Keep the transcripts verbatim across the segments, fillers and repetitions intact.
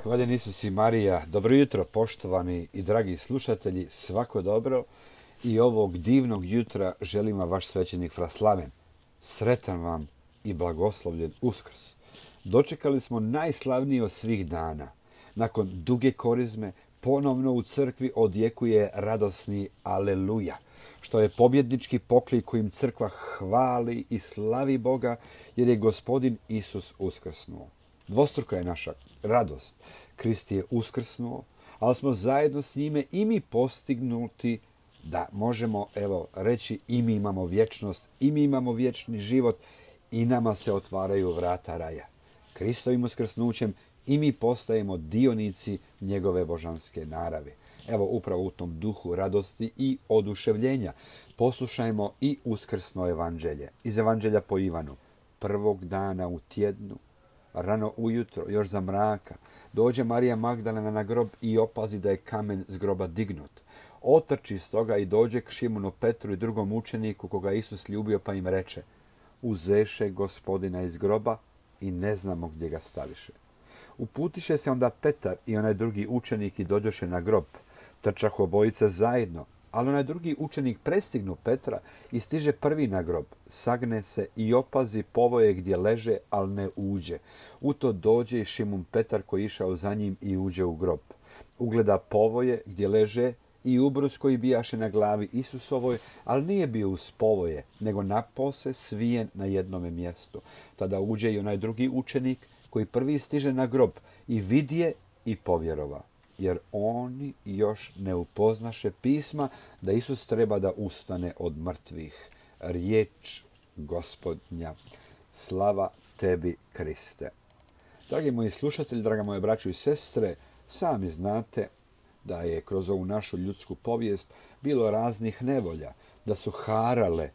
Hvaljen Isus i Marija. Dobro jutro, poštovani i dragi slušatelji, svako dobro. I ovog divnog jutra želim vam vaš svećenik Fra Slaven. Sretan vam i blagoslovljen Uskrs. Dočekali smo najslavniji od svih dana. Nakon duge korizme, ponovno u crkvi odjekuje radosni Aleluja, što je pobjednički poklik kojim crkva hvali i slavi Boga, jer je Gospodin Isus uskrsnuo. Dvostruka je naša radost. Krist je uskrsnuo, ali smo zajedno s njime i mi postignuti da možemo, evo, reći i mi imamo vječnost, i mi imamo vječni život i nama se otvaraju vrata raja. Kristovim uskrsnućem i mi postajemo dionici njegove božanske narave. Evo, upravo u tom duhu radosti i oduševljenja poslušajmo i uskrsno evanđelje. Iz evanđelja po Ivanu. Prvog dana u tjednu, rano ujutro, još za mraka, dođe Marija Magdalena na grob i opazi da je kamen s groba dignut. Otrči stoga i dođe k Šimunu Petru i drugom učeniku koga je Isus ljubio, pa im reče: uzeše Gospodina iz groba i ne znamo gdje ga staviše. Uputiše se onda Petar i onaj drugi učenik i dođoše na grob. Trčahu obojica zajedno, ali onaj drugi učenik prestignu Petra i stiže prvi na grob. Sagne se i opazi povoje gdje leže, ali ne uđe. U to dođe i Šimun Petar koji je išao za njim i uđe u grob. Ugleda povoje gdje leže i ubrus koji bijaše na glavi Isusovoj, ali nije bio uz povoje, nego napose svijen na jednome mjestu. Tada uđe i onaj drugi učenik koji prvi stiže na grob i vidje i povjerova, jer oni još ne upoznaše pisma da Isus treba da ustane od mrtvih. Riječ Gospodnja. Slava tebi, Kriste. Dragi moji slušatelji, draga moje braćo i sestre, sami znate da je kroz ovu našu ljudsku povijest bilo raznih nevolja, da su harale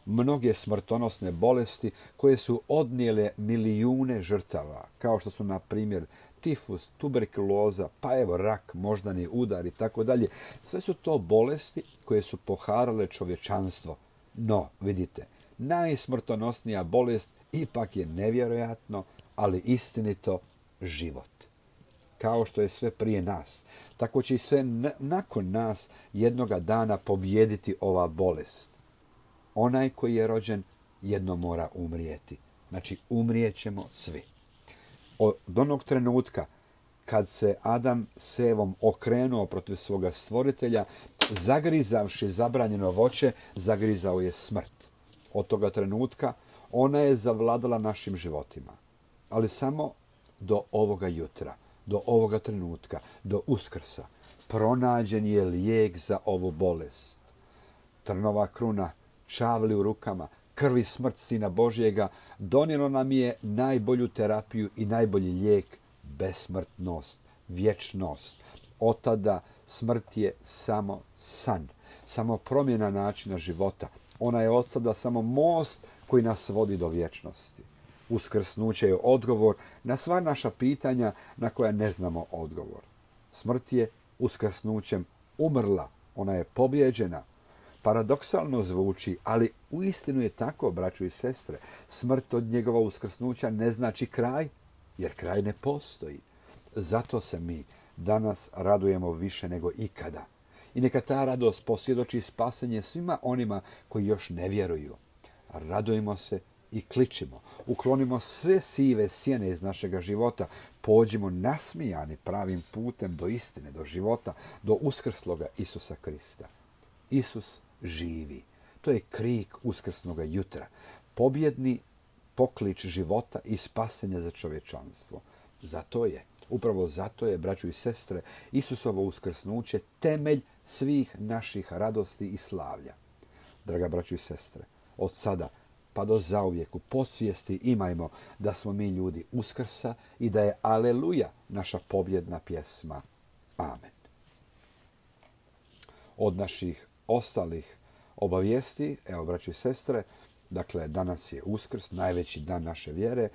mnoge smrtonosne bolesti koje su odnijele milijune žrtava, kao što su, na primjer, tifus, tuberkuloza, pa evo rak, moždani udar i tako dalje. Sve su to bolesti koje su poharale čovječanstvo. No, vidite, najsmrtonosnija bolest ipak je nevjerojatno, ali istinito život. Kao što je sve prije nas, tako će i sve nakon nas jednoga dana pobijediti ova bolest. Onaj koji je rođen jednom mora umrijeti. Znači, umrijećemo svi. Od onog trenutka kad se Adam s Evom okrenuo protiv svoga stvoritelja, zagrizavši zabranjeno voće, zagrizao je smrt. Od toga trenutka ona je zavladala našim životima. Ali samo do ovoga jutra, do ovoga trenutka, do Uskrsa, pronađen je lijek za ovu bolest. Trnova kruna, čavli u rukama, krvi smrt Sina Božjega donijelo nam je najbolju terapiju i najbolji lijek, besmrtnost, vječnost. Od tada smrt je samo san, samo promjena načina života. Ona je od sada samo most koji nas vodi do vječnosti. Uskrsnuće je odgovor na sva naša pitanja na koja ne znamo odgovor. Smrt je uskrsnućem umrla, ona je pobjeđena. Paradoksalno zvuči, ali uistinu je tako, braćo i sestre. Smrt od njegova uskrsnuća ne znači kraj, jer kraj ne postoji. Zato se mi danas radujemo više nego ikada. I neka ta radost posvjedoči spasenje svima onima koji još ne vjeruju. Radujmo se i kličimo. Uklonimo sve sive sjene iz našega života. Pođimo nasmijani pravim putem do istine, do života, do uskrsloga Isusa Krista. Isus živi. To je krik uskrsnoga jutra. Pobjedni poklič života i spasenja za čovječanstvo. Zato je, upravo zato je, braćo i sestre, Isusovo uskrsnuće temelj svih naših radosti i slavlja. Draga braćo i sestre, od sada pa do zauvijek u podsvijesti imajmo da smo mi ljudi Uskrsa i da je Aleluja naša pobjedna pjesma. Amen. Od naših ostalih obavijesti, evo braći i sestre, dakle danas je Uskrs, najveći dan naše vjere.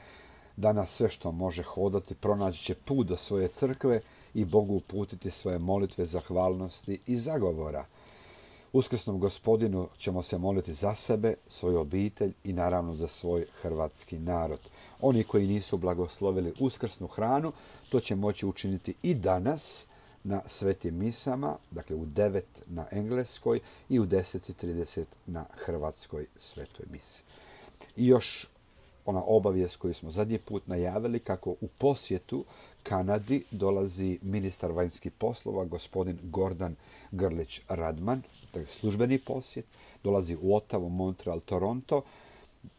Danas sve što može hodati pronaći će put do svoje crkve i Bogu uputiti svoje molitve zahvalnosti i zagovora. Uskrsnom Gospodinu ćemo se moliti za sebe, svoju obitelj i naravno za svoj hrvatski narod. Oni koji nisu blagoslovili uskrsnu hranu, to će moći učiniti i danas na svetim misama, dakle u devet na engleskoj i u deset i trideset na hrvatskoj svetoj misi. I još ona obavijest koju smo zadnji put najavili, kako u posjetu Kanadi dolazi ministar vanjskih poslova, gospodin Gordan Grlić Radman, to je službeni posjet, dolazi u Ottawu, Montreal, Toronto.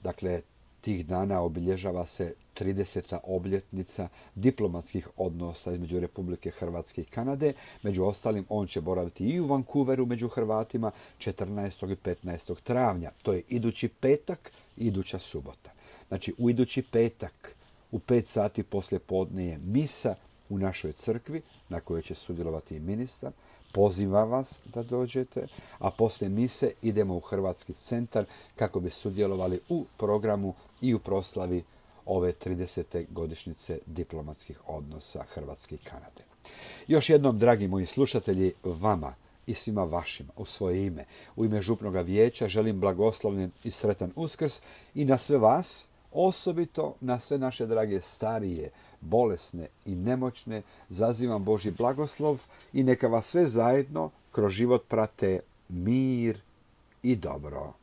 Dakle, tih dana obilježava se trideseta obljetnica diplomatskih odnosa između Republike Hrvatske i Kanade. Među ostalim, on će boraviti i u Vancouveru među Hrvatima četrnaestog i petnaestog travnja. To je idući petak i iduća subota. Znači, u idući petak u pet sati poslije podne je misa u našoj crkvi na kojoj će sudjelovati i ministar. Pozivam vas da dođete, a poslije mise idemo u Hrvatski centar kako bi sudjelovali u programu i u proslavi ove tridesete godišnjice diplomatskih odnosa Hrvatske i Kanade. Još jednom, dragi moji slušatelji, vama i svima vašima u svoje ime, u ime Župnoga vijeća želim blagoslovljen i sretan Uskrs i na sve vas, osobito na sve naše drage starije, bolesne i nemoćne, zazivam Božji blagoslov i neka vas sve zajedno kroz život prate mir i dobro.